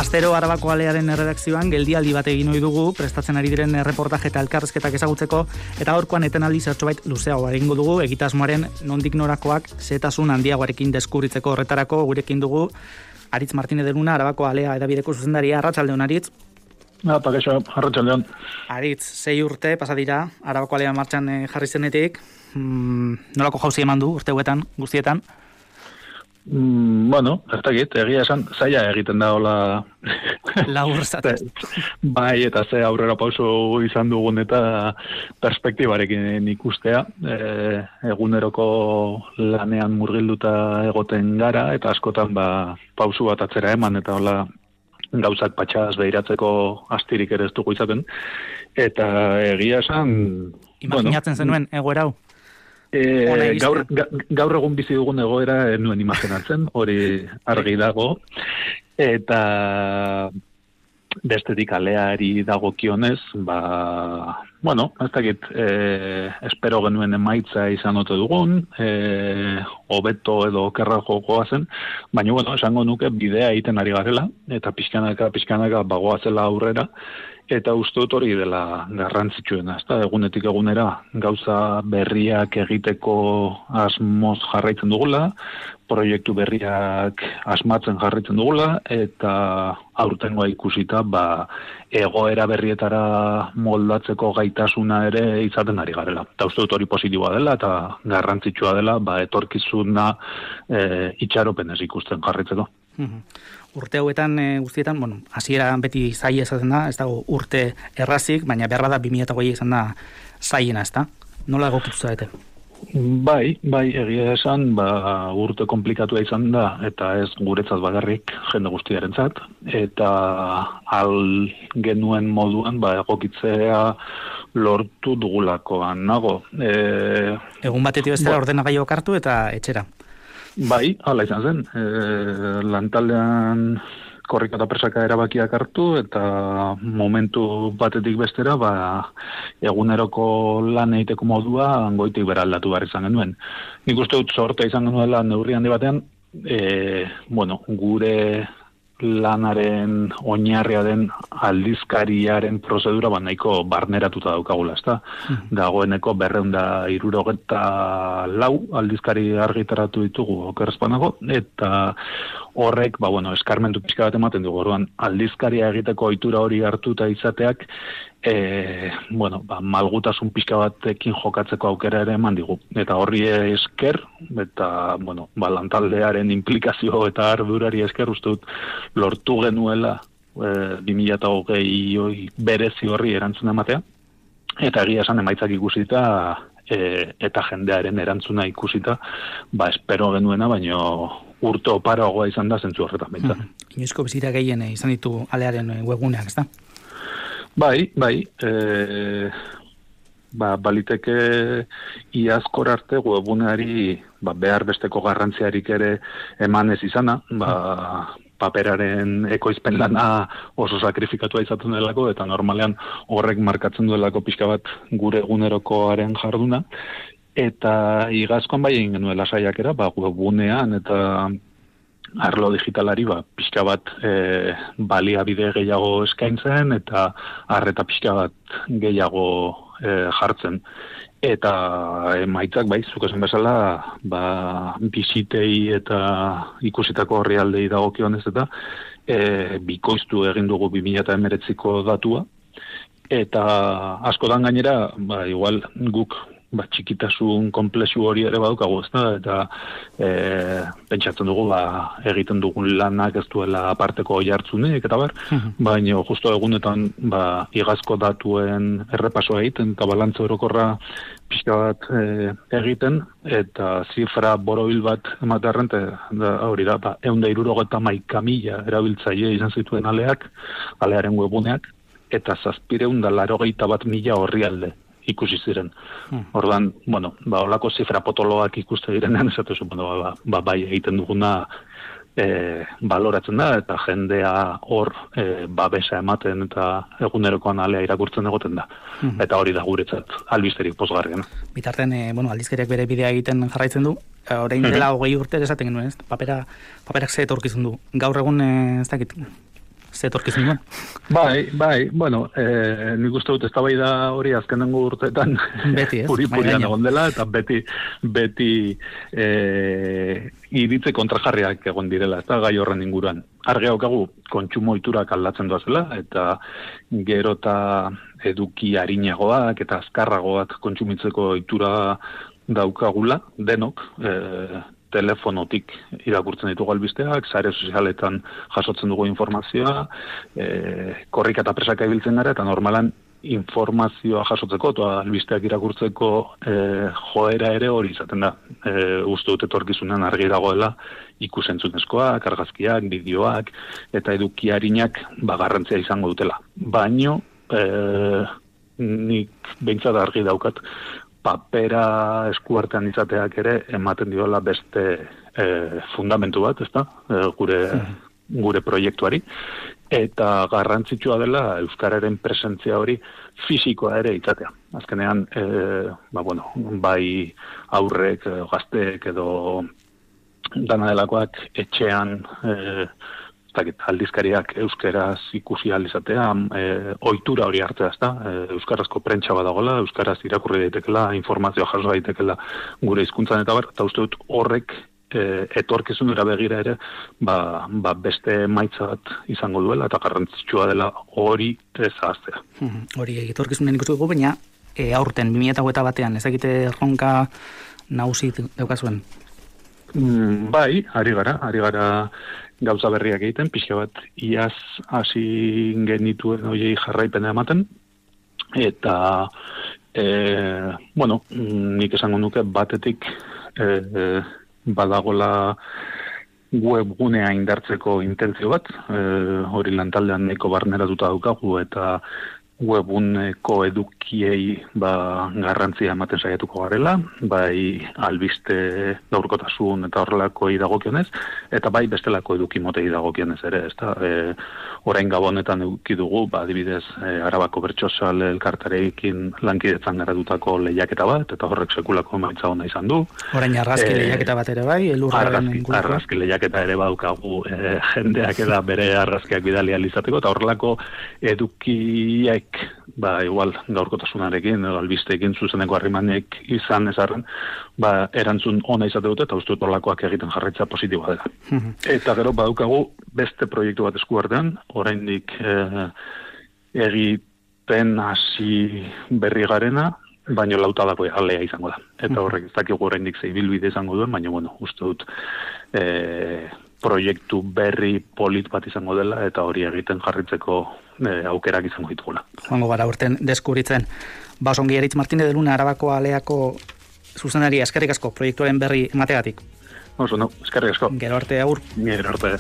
Astero Arabako Alearen erredakzioan geldialdi bat egin ohi dugu, prestatzen ari diren erreportaje eta elkarrizketak ezagutzeko, eta gaurkoan etenaldi zertxobait luzeago egingo dugu, egitasmoaren nondik norakoak zehetasun handiagoarekin deskubritzeko horretarako gurekin dugu Aritz Martinez de Luna, Arabako Alea edabideko zuzendaria. Arratsaldeon, Aritz. Kaixo, arratsaldeon. Aritz, 6 urte pasa dira Arabako Alea martxan jarri zenetik. Nolako jauzi eman du urte hauetan guztietan? Bueno, ez dakit, egia esan, zaila egiten da hola... Labur zatez. Bai, eta ze aurrera pauso izan dugun eta perspektibarekin ikustea. Eguneroko lanean murgilduta egoten gara, eta askotan pausu bat atzera eman, eta hola gauzak patxaz behiratzeko astirik ere ez dugu izaten. Eta egia esan... Imaginatzen zenuen egoera hau? Gaur egun bizi dugun egoera nuen imaginatzen, hori argi dago, eta bestetik Aleari dagokionez, ez dakit, espero genuen emaitza izan ote dugun, hobeto edo okerrago goazen, baina esango nuke bidea egiten ari garela, eta pixkanaka bagoazela aurrera, eta uste dut hori dela garrantzitsuena, ezta? Egunetik egunera gauza berriak egiteko asmoz jarraitzen dugula, proiektu berriak asmatzen jarraitzen dugula, eta aurtengoa ikusita egoera berrietara moldatzeko gaitasuna ere izaten ari garela. Eta uste dut hori positiboa dela, eta garrantzitsua dela etorkizuna itxaropenez ikusten jarraitzeko. Urte hauetan guztietan, hasiera beti zaila esaten da, ez dago urte errazik, baina behar bada 2008 izan da zaiena, ez da? Nola egokitu zarete? Bai, egia esan, urte komplikatua izan da, eta ez guretzat bakarrik jende guztiarentzat, eta genuen moduan egokitzea lortu dugulakoan nago. Egun batetik bestera ordenagailuak hartu eta etxera. Bai, hala izan zen. Lantaldean korrika eta presaka erabakiak hartu, eta momentu batetik bestera, eguneroko lan egiteko modua goitik bera aldatu behar izan genuen. Nik uste dut sortea izan genuela neurri handi batean, gure lanaren oinarria den aldizkariaren prozedura nahiko barneratuta daukagula, ezta? Dagoeneko 264 aldizkari argitaratu ditugu okerrezpanago, eta horrek, eskarmentu pixka bat ematen dugu, orduan aldizkaria egiteko ohitura hori hartuta izateak, malgutasun pixka batekin jokatzeko aukera ere eman digu. Eta horri esker, eta, lantaldearen implikazio eta ardurari esker, uste dut, lortu genuela 2020 berezi horri erantzuna ematea, eta egia esan emaitzak ikusita, eta jendearen erantzuna ikusita, espero genuena, baino urte oparoagoa izan da zentzu horretan behintzat. Inoizko bizira gehien izan ditu Alearen webguneak, ez da? Bai, baliteke iazkor arte webguneari behar besteko garrantziarik ere emanez izana, paperaren ekoizpen lana oso sakrifikatua izaten delako, eta normalean horrek markatzen duelako pixka bat gure egunerokoaren jarduna, eta igazkoan egin genuela saiakera, webgunean eta arlo digitalari pixka bat baliabide gehiago eskaintzen, eta arreta pixka bat gehiago jartzen. Eta emaitzak, zuk esan bezala, bizitei eta ikusitako orrialdei dagokionez eta bikoiztu egin dugu 2019ko datua, eta askotan gainera, igual guk txikitasun komplexu hori ere badukagu, eta pentsatzen dugu egiten dugun lanak ez duela aparteko jartzunik, eta baina justo egunetan igazko datuen errepasoa egiten, eta balantza orokorra pixka bat egiten, eta zifra borobil bat ematearren, hori da, 171.000 erabiltzaile izan zituen Alearen webuneak, eta 781.000 orrialde ikusi ziren. Ordan, holako zifra potoloak ikuste direnean, esatu bai egiten duguna baloratzen da, eta jendea hor babesa ematen eta egunerokoan Alea irakurtzen egoten da. Eta hori da guretzat albisterik pozgarriena. Bitartean, aldizkariak bere bidea egiten jarraitzen du, orain dela 20 urte esaten genuen, paperak ze etorkizun du. Gaur egun, ez dakit, zetorkizun duen. Bai, bueno, nik uste dut eztabaida hori azkenengo urteetan beti, ez? Puri-purian egon dela, eta beti iritze kontrajarriak egon direla, eta gai horren inguruan. Argi daukagu kontsumo ohiturak aldatzen doazela, eta gero eta eduki arinagoak eta azkarragoak kontsumitzeko ohitura daukagula, denok, telefonotik irakurtzen ditugu albisteak, sare sozialetan jasotzen dugu informazioa, korrika eta presaka ibiltzen gara, eta normalan informazioa jasotzeko eta albisteak irakurtzeko joera ere hori izaten da. Uste dut etorkizunean argi dagoela ikusentzunezkoak, argazkiak, bideoak eta eduki arinak garrantzia izango dutela. Baino, nik behintzat argi daukat papera eskuartean izateak ere ematen diola beste fundamentu bat, ezta? Gure proiektuari. Eta garrantzitsua dela euskararen presentzia hori fisikoa ere izatea. Azkenean, bai aurrek, gazteek edo dana delakoak etxean aldizkariak euskeraz ikusi alizatea, ohitura hori hartzea, ezta? Euskarazko prentsa badagola, euskaraz irakurri daitekela, informazioa jaso daitekela gure hizkuntzan eta uste dut horrek etorkizunera begira ere beste emaitza bat izango duela eta garrantzitsua dela hori ez ahaztea. Hori etorkizunen ikusi dugu, baina aurten 2021 ezagite erronka nagusi daukazuen? Bai, ari gara gauza berriak egiten, pixka bat iaz hasi genituen horiei jarraipena ematen, eta nik esango nuke batetik badagola webgunea indartzeko intentzio bat, hori lantaldean nahiko barneratuta daukagu, eta webguneko edukiei garrantzia ematen saiatuko garela, bai albiste gaurkotasun eta horrelako dagokionez, eta bai bestelako eduki motei dagokionez ere, ezta? Orain gabonetan eduki dugu, adibidez, Arabako Bertsozale elkartarekin lankidetzan garatutako lehiaketa bat, eta horrek sekulako emaitza ona izan du. Orain argazki lehiaketa bat ere bai, elurraren inguruko. Argazki lehiaketa ere badaukagu jendeak eda bere argazkiak bidali alizateko, eta horrelako edukiek igual gaurkotasunarekin, albisteekin zuzeneko harrimanek izan ezarren, erantzun ona izate dute, eta uste dut horrelakoak egiten jarraitza positiboa dela. Eta gero badaukagu beste proiektu bat eskuartean, oraindik egiten hasi berri garena, baino lautadako alea izango da. Eta horrek ez dakigu oraindik ze ibilbide izango duen, baina uste dut proiektu berri polit bat izango dela, eta hori egiten jarritzeko aukerak izango ditugula. Joango gara urten deskubritzen. Osongi Eritz Martínez de Luna, Arabako aleako zuzendaria, eskerrik asko proiektuaren berri emategatik. Eskerrik asko. Gero arte, agur. Gero arte.